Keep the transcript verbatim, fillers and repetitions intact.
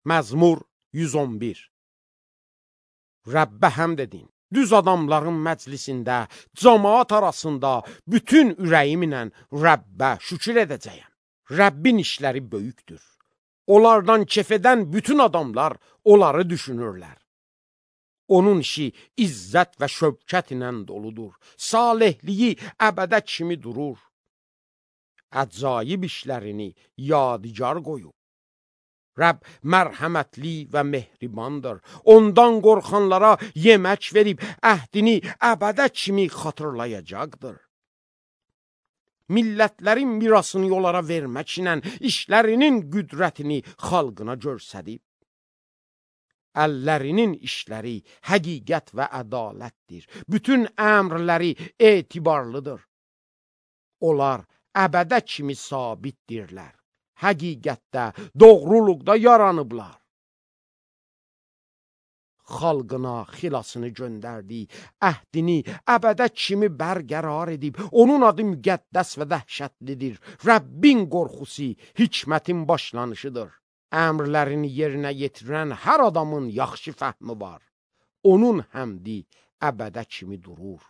Məzmur yüz on bir. Rəbbə həmd edin. Düz adamların məclisində, cəmaat arasında bütün ürəyimlə Rəbbə şükür edəcəyəm. Rəbbin işləri böyükdür. Onlardan kef edən bütün adamlar onları düşünürlər. Onun işi izzət və şövkət ilə doludur. Salihliyi əbədə kimi durur. Əcaib işlərini yadigar qoyub. Rəbb mərhəmətli və mehribandır. Ondan qorxanlara yemək verib, əhdini əbədə kimi xatırlayacaqdır. Millətlərin mirasını onlara verməklə işlərinin qüdrətini xalqına göstərib. Əllərinin işləri həqiqət və ədalətdir. Bütün əmrləri etibarlıdır. Onlar əbədə kimi sabitdirlər. Həqiqətdə, doğruluqda yaranıblar. Xalqına xilasını göndərdi, əhdini əbədə kimi bərqərar edib, onun adı müqəddəs və dəhşətlidir. Rəbbin qorxusu hikmətin başlanışıdır. Əmrlərini yerinə yetirən hər adamın yaxşı fəhmi var. Onun həmdi əbədə kimi durur.